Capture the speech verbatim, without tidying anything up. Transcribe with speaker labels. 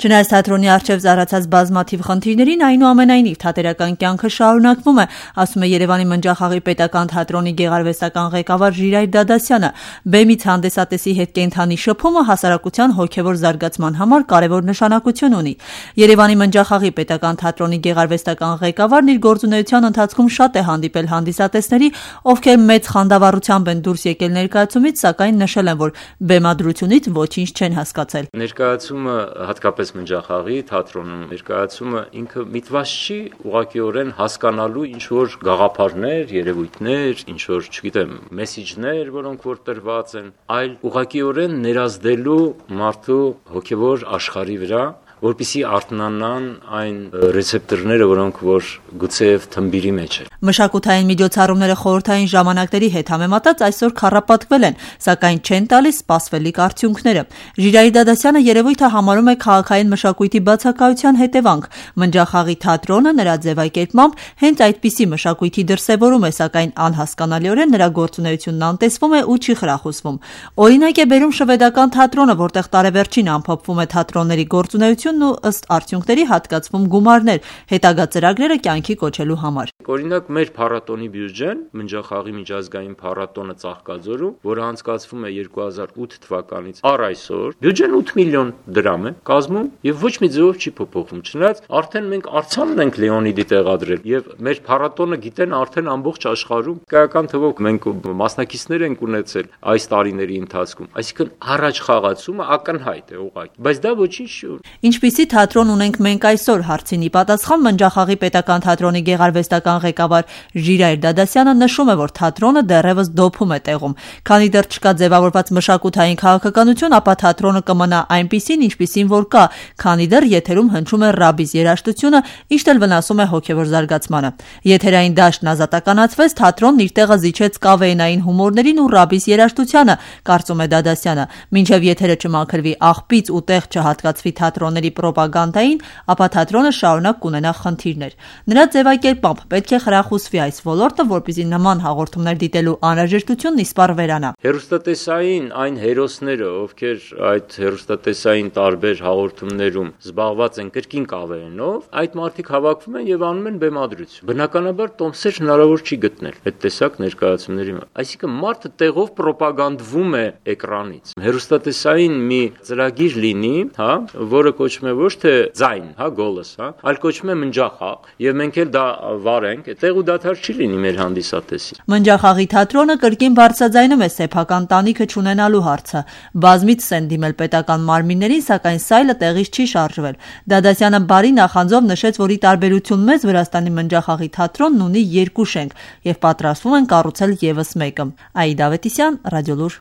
Speaker 1: Չնայած թատրոնի առջև ծառացած բազմաթիվ խնդիրներին, այնուամենայնիվ թատերական կյանքը շարունակվում է, ասում է Երևանի Մնջախաղի պետական թատրոնի գեղարվեստական ղեկավար Ժիրայր Դադասյանը։ Բեմից հանդեսատեսի հետ կենդանի շփումը հասարակության հոգևոր զարգացման համար կարևոր նշանակություն ունի։ Երևանի Մնջախաղի պետական թատրոնի գեղարվեստական ղեկավարն իր գործունեության ընթացքում շատ է հանդիպել հանդիսատեսների, ովքեր մեծ խանդավառությամբ են դուրս եկել ներկայացումից, սակայն նշել են, որ բեմադրությունից ոչինչ չեն հասկացել։
Speaker 2: Ներկայացումը հատկապես Մնջախաղի թատրոնում ներկայացումը ինքը միտված չի ուղղակիորեն հասկանալու ինչ որ գաղափարներ, երևույթներ, ինչ որ, չգիտեմ, մեսիջներ, որոնք որ տրված են, այլ ուղղակիորեն ներազդելու մարդու հոգևոր աշխարհի վրա, որպեսզի արթնանան այն ռեցեպտորները, որոնք որ գուցեև թմբիրի մեջ են։
Speaker 1: Մշակութային միջոցառումները խորհրդային ժամանակների հետ համեմատած այսօր քառապատկվել են, սակայն չեն տալիս սպասվելիք արդյունքները։ Ժիրայր Դադասյանը երևույթը համարում է քաղաքային մշակույթի բացակայության հետևանք։ Մնջախաղի թատրոնը նրա ձևակերպմամբ հենց այդպիսի մշակույթի դրսևորում է, սակայն անհասկանալիորեն նրա գործունեությունն անտեսվում է ու չի խրախուսվում։ Օրինակ է բերում շվեդական թատրոնը, որտեղ տարեվերջին ամփոփվում է թատրոնների գործունեություն ու ըստ արդյունքների հատկացվում գումարներ հետագա ծրագրերը կյանքի կոչելու համար։
Speaker 2: Օրինակ մեր փառատոնի բյուջեն, Մնջախաղի միջազգային փառատոնը Ծաղկաձորում, որը անցկացվում է երկու հազար ութ թվականից առ այսօր, բյուջեն ութ միլիոն դրամ է կազմում եւ ոչ մի ձևով չի փոփոխվում։ Չնայած արդեն մենք արձանն ենք Լեոնիդի տեղադրել եւ մեր փառատոնը գիտեն արդեն ամբողջ աշխարհում կայական թվով մենք մասնակիցներ ենք ունեցել այս տարիների ընթացքում։ Այսինքն առաջ խաղացումը ակնհայտ է ուղղակի, բայց դա ոչինչ չի։
Speaker 1: Ինչպիսի թատրոն ունենք մենք այսօր, հարցին ի պատասխան Մնջախաղի պետական թատրոնի գեղարվեստական ղեկավար Ժիրայր Դադասյանը նշում է, որ թատրոնը դեռևս դոփում է տեղում։ Քանի դեռ չկա ձևավորված մշակութային քաղաքականություն, ապա թատրոնը կմնա այնպիսին, ինչպիսին որ կա, քանի դեռ եթերում հնչում է ռաբիս երաժշտությունը, ինչն էլ վնասում է հոգևոր զարգացմանը։ Եթերային դաշտն ազատականացվեց, թատրոնն իր տեղը զիջեց կավեենային հումորներին ու ռաբիս երաժշտությանը, կարծում է Դադասյանը։ Մինչև եթերը չմաքրվի աղբից ու տեղ չհատկացվի թատրոնների պրոպագանդային, ապա թատրոնը շարունակ կունենա խնդիրներ։ Նրա ձևակերպմամբ պետք է խրախուսվի այս ոլորտը, որպեսզի նման հաղորդումներ դիտելու անհրաժեշտությունն իսպառ վերանա։
Speaker 2: Հեռուստատեսային այն հերոսները, ովքեր այդ հեռուստատեսային տարբեր հաղորդումներում զբաղված են կրկին կավեենով, այդ մարդիկ հավաքվում են եւ անում են բեմադրություն։ Բնականաբար տոմսեր հնարավոր չի գտնել այդ տեսակ ներկայացումների մեջ։ Այսինքն մարդը տեղով պրոպագանդվում է էկրանից։ Հեռուստատեսային մի ծրագիր լինի, հա, որը կոչվում է ոչ թե ձայն, հա, գոլս, հա, այլ կոչվում է Մնջախաղ, եւ մենք էլ դա վարենք, այդտեղ ու դադար չի լինի մեր հանդիսատեսի։
Speaker 1: Մնջախաղի թատրոնը կրկին բարձրաձայնում է սեփական տանիքը չունենալու հարցը։ Բազմիցս են դիմել պետական մարմիններին, սակայն սայլը տեղից չի շարժվել։ Դադասյանը բարի նախանձով նշեց, որ ի տարբերություն մեզ Վրաստանի Մնջախաղի թատրոնն ունի երկու շենք եւ պատրաստվում են կառուցել եւս մեկը։ Աիդա Ավետիսյան, Ռադիոլուր։